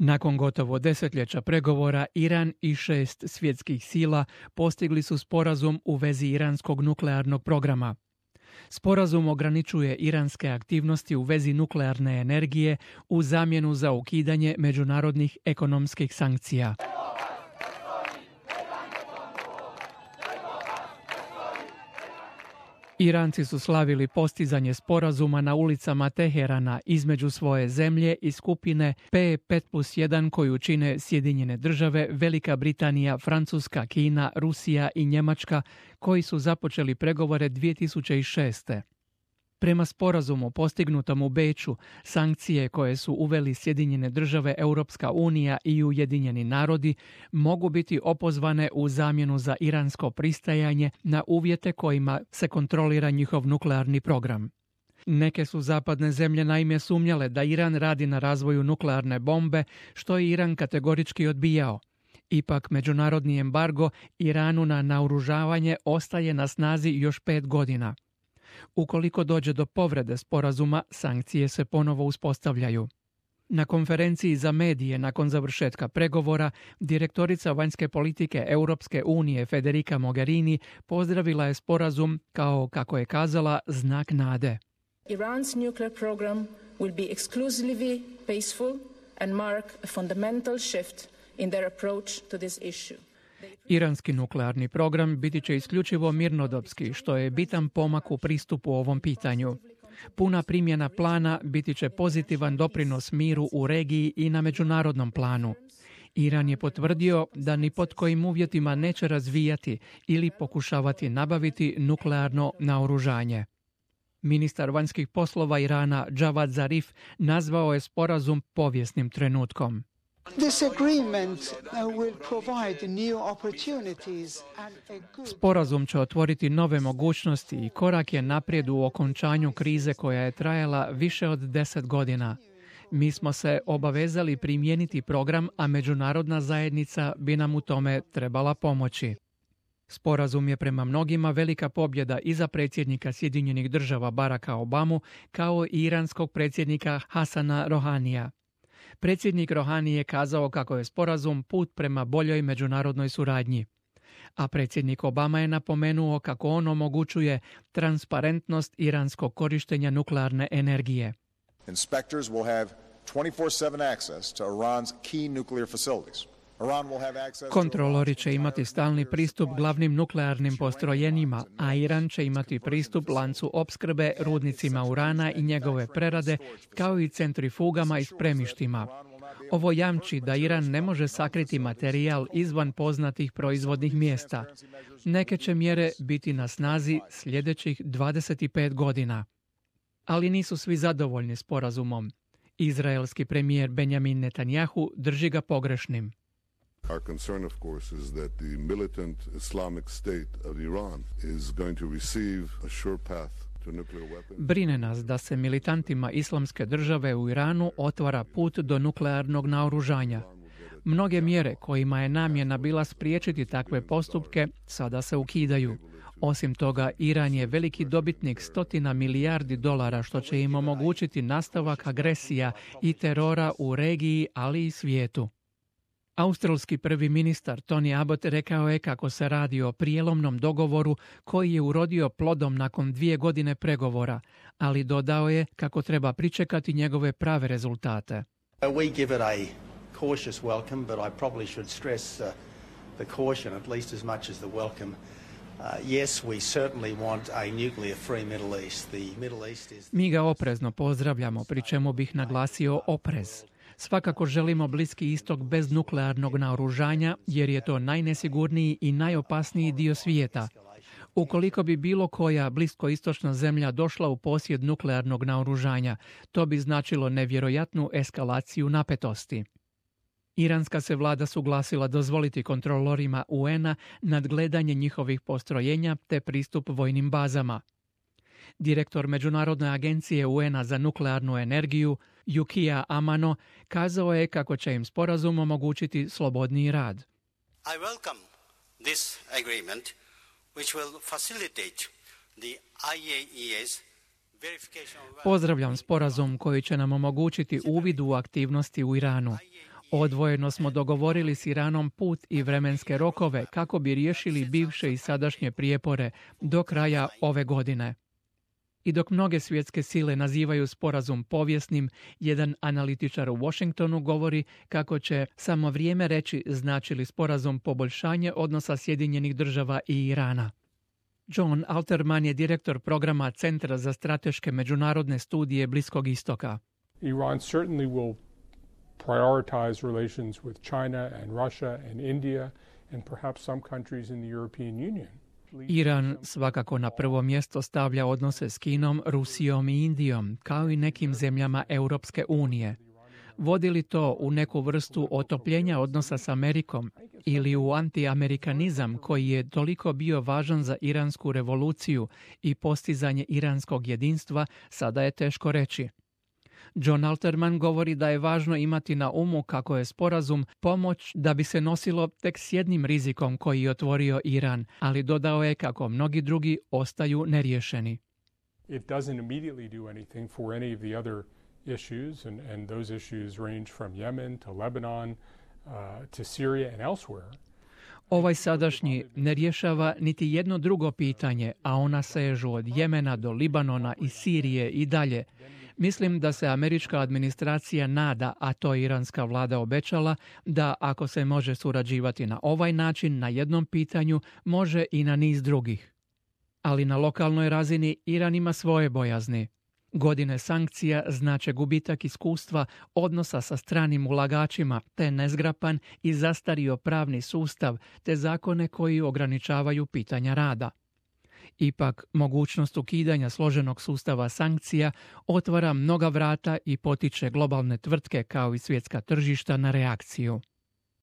Nakon gotovo desetljeća pregovora, Iran i 6 svjetskih sila postigli su sporazum u vezi iranskog nuklearnog programa. Sporazum ograničuje iranske aktivnosti u vezi nuklearne energije u zamjenu za ukidanje međunarodnih ekonomskih sankcija. Iranci su slavili postizanje sporazuma na ulicama Teherana između svoje zemlje i skupine P5+1 koju čine Sjedinjene države, Velika Britanija, Francuska, Kina, Rusija i Njemačka, koji su započeli pregovore 2006. Prema sporazumu postignutom u Beču, sankcije koje su uveli Sjedinjene države, Europska unija i Ujedinjeni narodi mogu biti opozvane u zamjenu za iransko pristajanje na uvjete kojima se kontrolira njihov nuklearni program. Neke su zapadne zemlje naime sumnjale da Iran radi na razvoju nuklearne bombe, što je Iran kategorički odbijao. Ipak, međunarodni embargo Iranu na naoružavanje ostaje na snazi još 5 godina. Ukoliko dođe do povrede sporazuma, sankcije se ponovo uspostavljaju. Na konferenciji za medije nakon završetka pregovora, direktorica vanjske politike Europske unije Federica Mogherini pozdravila je sporazum kao, kako je kazala, znak nade. Iran's nuclear program will be exclusively peaceful and mark a fundamental shift in their approach to this issue. Iranski nuklearni program biti će isključivo mirnodopski, što je bitan pomak u pristupu ovom pitanju. Puna primjena plana biti će pozitivan doprinos miru u regiji i na međunarodnom planu. Iran je potvrdio da ni pod kojim uvjetima neće razvijati ili pokušavati nabaviti nuklearno naoružanje. Ministar vanjskih poslova Irana Javad Zarif nazvao je sporazum povijesnim trenutkom. Sporazum će otvoriti nove mogućnosti i korak je naprijed u okončanju krize koja je trajala više od 10 godina. Mi smo se obavezali primijeniti program, a međunarodna zajednica bi nam u tome trebala pomoći. Sporazum je prema mnogima velika pobjeda i za predsjednika Sjedinjenih država Baracka Obamu, kao i iranskog predsjednika Hasana Rohanija. Predsjednik Rohani je kazao kako je sporazum put prema boljoj međunarodnoj suradnji. A predsjednik Obama je napomenuo kako on omogućuje transparentnost iranskog korištenja nuklearne energije. Inspectors will have 24/7 access to Iran's key nuclear facilities. Kontrolori će imati stalni pristup glavnim nuklearnim postrojenjima, a Iran će imati pristup lancu opskrbe, rudnicima urana i njegove prerade, kao i centrifugama i spremištima. Ovo jamči da Iran ne može sakriti materijal izvan poznatih proizvodnih mjesta. Neke će mjere biti na snazi sljedećih 25 godina. Ali nisu svi zadovoljni sporazumom. Izraelski premijer Benjamin Netanjahu drži ga pogrešnim. Our concern, of course, is that the militant Islamic State of Iran is going to receive a sure path to nuclear weapons. Brine nas da se militantima Islamske države u Iranu otvara put do nuklearnog naoružanja. Mnoge mjere kojima je namjena bila spriječiti takve postupke sada se ukidaju. Osim toga, Iran je veliki dobitnik $100 milijardi, što će im omogućiti nastavak agresija i terora u regiji, ali i svijetu. Australski prvi ministar Tony Abbott rekao je kako se radi o prijelomnom dogovoru koji je urodio plodom nakon 2 godine pregovora, ali dodao je kako treba pričekati njegove prave rezultate. We give it a cautious welcome, but I probably should stress the caution at least as much as the welcome. Yes, we certainly want a nuclear-free Middle East. The Middle East is... Mi ga oprezno pozdravljamo, pri čemu bih naglasio oprez. Svakako želimo Bliski istok bez nuklearnog naoružanja, jer je to najnesigurniji i najopasniji dio svijeta. Ukoliko bi bilo koja bliskoistočna zemlja došla u posjed nuklearnog naoružanja, to bi značilo nevjerojatnu eskalaciju napetosti. Iranska se vlada suglasila dozvoliti kontrolorima UN-a nadgledanje njihovih postrojenja te pristup vojnim bazama. Direktor Međunarodne agencije UN-a za nuklearnu energiju, Yukio Amano, kazao je kako će im sporazum omogućiti slobodniji rad. I welcome this agreement which will facilitate the IAEA's verification of... Pozdravljam sporazum koji će nam omogućiti uvid u aktivnosti u Iranu. Odvojeno smo dogovorili s Iranom put i vremenske rokove kako bi riješili bivše i sadašnje prijepore do kraja ove godine. I dok mnoge svjetske sile nazivaju sporazum povijesnim, jedan analitičar u Washingtonu govori kako će samo vrijeme reći znači li sporazum poboljšanje odnosa Sjedinjenih Država i Irana. John Alterman je direktor programa Centra za strateške međunarodne studije Bliskog istoka. Iran certainly will prioritize relations with China and Russia and India and perhaps some countries in the European Union. Iran svakako na prvo mjesto stavlja odnose s Kinom, Rusijom i Indijom, kao i nekim zemljama Europske unije. Vodi li to u neku vrstu otopljenja odnosa s Amerikom ili u antiamerikanizam koji je toliko bio važan za iransku revoluciju i postizanje iranskog jedinstva, sada je teško reći. John Alterman govori da je važno imati na umu kako je sporazum pomoć da bi se nosilo tek s jednim rizikom koji je otvorio Iran, ali dodao je kako mnogi drugi ostaju neriješeni. It doesn't immediately do anything for any of the other issues, and those issues range from Yemen to Lebanon to Syria and elsewhere. Ovaj sadašnji ne rješava niti jedno drugo pitanje, a ona sežu od Jemena do Libanona i Sirije i dalje. Mislim da se američka administracija nada, a to iranska vlada obećala, da ako se može surađivati na ovaj način na jednom pitanju, može i na niz drugih. Ali na lokalnoj razini Iran ima svoje bojazni. Godine sankcija znače gubitak iskustva odnosa sa stranim ulagačima, te nezgrapan i zastario pravni sustav, te zakone koji ograničavaju pitanja rada. Ipak, mogućnost ukidanja složenog sustava sankcija otvara mnoga vrata i potiče globalne tvrtke kao i svjetska tržišta na reakciju.